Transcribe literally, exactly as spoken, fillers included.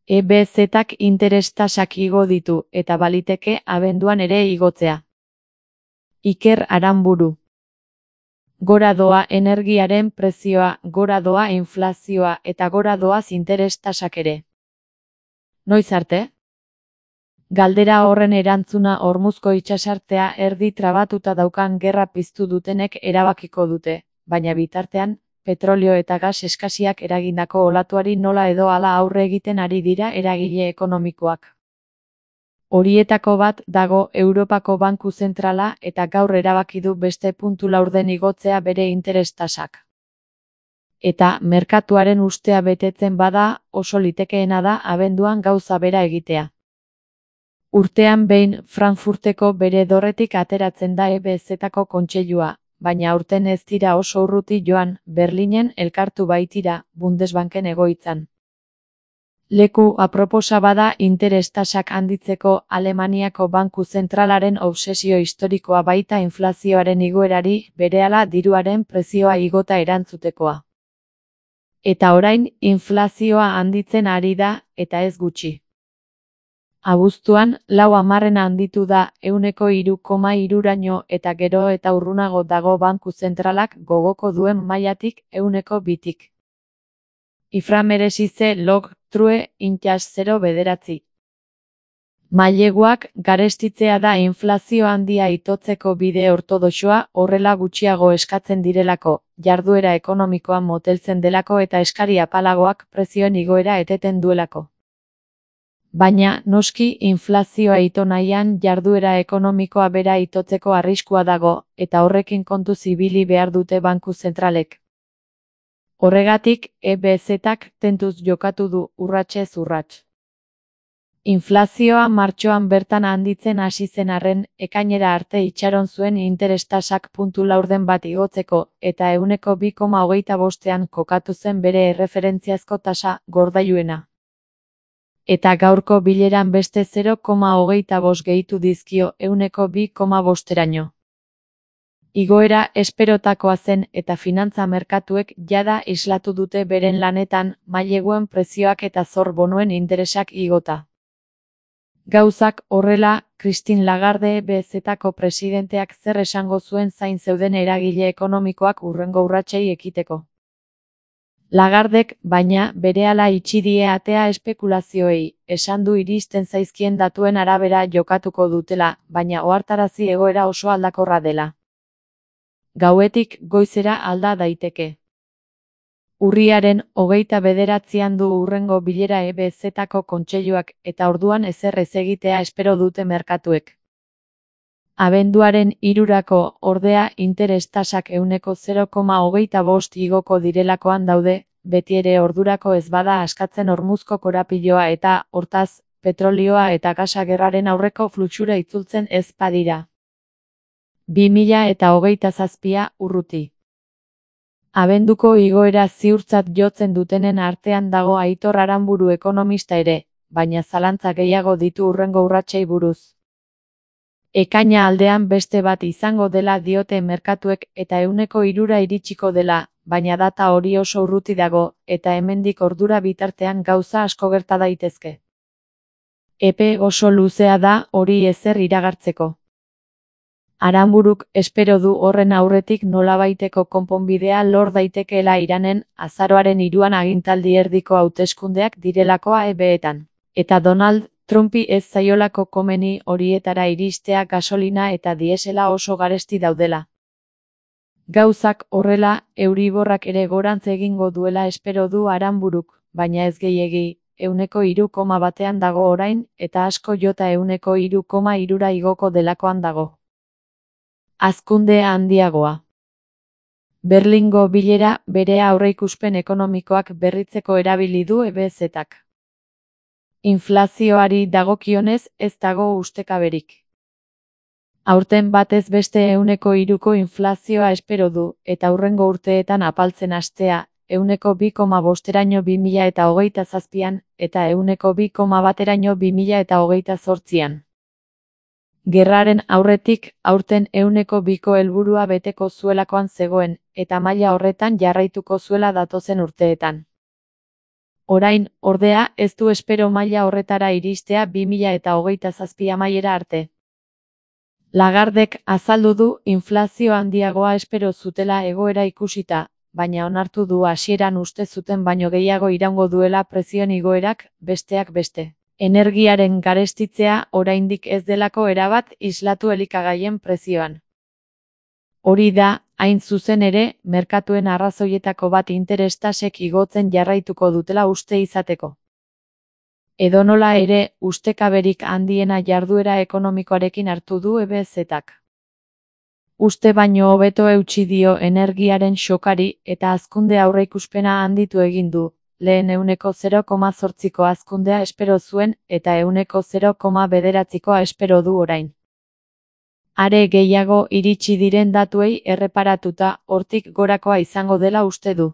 E B Z-ak interes tasak igo ditu eta baliteke abenduan ere igotzea. Iker Aranburu. Gora doa energiaren prezioa, gora doa inflazioa eta gora doaz interes tasak ere. Noiz arte? Galdera horren erantzuna Hormuzko itsasartea erdi trabatuta daukan gerra piztu dutenek erabakiko dute, baina bitartean, petrolio eta gas eskasiak eragindako olatuari nola edo hala aurre egiten ari dira eragile ekonomikoak. Horietako bat dago Europako Banku Zentrala eta gaur erabaki du beste puntu laurden igotzea bere interes tasak. Eta merkatuaren ustea betetzen bada, oso litekeena da abenduan gauza bera egitea. Urtean behin Frankfurteko bere dorretik ateratzen da E B Z-ako kontseilua, baina aurten ez dira oso urruti joan, Berlinen elkartu baitira, Bundesbanken egoitzan. Leku aproposa bada interes tasak handitzeko Alemaniako Banku Zentralaren obsesio historikoa baita inflazioaren igoerari, berehala diruaren prezioa igota erantzutekoa. Eta orain, inflazioa handitzen ari da, eta ez gutxi. Abuztuan, lau hamarrena handitu da, ehuneko hiru koma hiruraino eta gero eta urrunago dago Banku Zentralak gogoko duen mailatik ehuneko bitik. Ifra meresize log, true, intxas zero bederatzi. Maileguak garestitzea da inflazio handia itotzeko bide ortodoxoa horrela gutxiago eskatzen direlako, jarduera ekonomikoa moteltzen delako eta eskari apalagoak prezioen igoera eteten duelako. Baina, noski, inflazioa ito nahian jarduera ekonomikoa bera itotzeko arriskua dago, eta horrekin kontuz ibili behar dute Banku Zentralek. Horregatik, E B Z-ak tentuz jokatu du urratsez urrats. Inflazioa martxoan bertan handitzen hasi zen arren, ekainera arte itxaron zuen interes tasak puntu laurden bat igotzeko, eta ehuneko bi koma hogeita bostean kokatu zen bere erreferentziazko tasa gordailuena. Eta gaurko bileran beste zero koma hogeita bost gehitu dizkio ehuneko bi koma bosteraino. Igoera esperotakoa zen eta finantza merkatuek jada islatu dute beren lanetan maileguen prezioak eta zor bonuen interesak igota. Gauzak horrela, Christine Lagarde E B Z-ako presidenteak zer esango zuen zain zeuden eragile ekonomikoak hurrengo urratsei ekiteko. Lagardek, baina, berehala itxi die atea espekulazioei, esan du iristen zaizkien datuen arabera jokatuko dutela, baina ohartarazi egoera oso aldakorra dela. Gauetik goizera alda daiteke. Urriaren hogeita bederatzian du hurrengo bilera E B Z-ako kontseiluak eta orduan ezer ez egitea espero dute merkatuek. Abenduaren hirurako ordea interes tasak ehuneko zero koma hogeita bost igoko direlakoan daude, beti ere ordurako ez bada askatzen Hormuzko korapiloa eta, hortaz, petrolioa eta gasa gerraren aurreko fluxura itzultzen ez badira. bi mila eta hogeita zazpia urruti. Abenduko igoera ziurtzat jotzen dutenen artean dago Aitor Aranburu ekonomista ere, baina zalantza gehiago ditu hurrengo urratsei buruz. Ekaina aldean beste bat izango dela diote merkatuek eta ehuneko hirura iritsiko dela, baina data hori oso urruti dago, eta hemendik ordura bitartean gauza asko gerta daitezke. Epe oso luzea da hori ezer iragartzeko. Aranburuk espero du horren aurretik nolabaiteko konponbidea lor daitekeela Iranen azaroaren hiruan agintaldi erdiko hauteskundeak direlakoa E B-etan. Eta Donald Trumpi ez zaiolako komeni horietara iristea gasolina eta diesela oso garesti daudela. Gauzak horrela, Euriborrak ere gorantz egingo duela espero du Aranburuk, baina ez gehiegi, ehuneko hiru koma batean dago orain, eta asko jota ehuneko hiru koma hirura igoko delakoan dago. Hazkunde handiagoa. Berlingo bilera bere aurreikuspen ekonomikoak berritzeko erabili du E B Z-ak. Inflazioari dagokionez ez dago ustekaberik. Aurten batez beste ehuneko hiruko inflazioa espero du, eta hurrengo urteetan apaltzen hastea, ehuneko bi koma bosteraino bi mila eta hogeita zazpian, eta ehuneko bi koma bateraino bi mila eta hogeita zortzian. Gerraren aurretik, aurten ehuneko biko helburua beteko zuelakoan zegoen, eta maila horretan jarraituko zuela datozen urteetan. Orain, ordea, ez du espero maila horretara iristea bi mila eta hogeita zazpi amaiera arte. Lagardek azaldu du inflazio handiagoa espero zutela egoera ikusita, baina onartu du hasieran uste zuten baino gehiago iraungo duela prezioen igoerak, besteak beste. Energiaren garestitzea oraindik ez delako erabat islatu elikagaien prezioan. Hori da, hain zuzen ere, merkatuen arrazoietako bat interes tasek igotzen jarraituko dutela uste izateko. Edonola ere, ustekaberik handiena jarduera ekonomikoarekin hartu du E B Z-ak. Uste baino hobeto eutsi dio energiaren xokari eta hazkunde aurreikuspena handitu egin du, lehen ehuneko zero koma zortziko hazkundea espero zuen eta ehuneko zero koma bederatzikoa espero du orain. Are gehiago iritsi diren datuei erreparatuta hortik gorakoa izango dela uste du.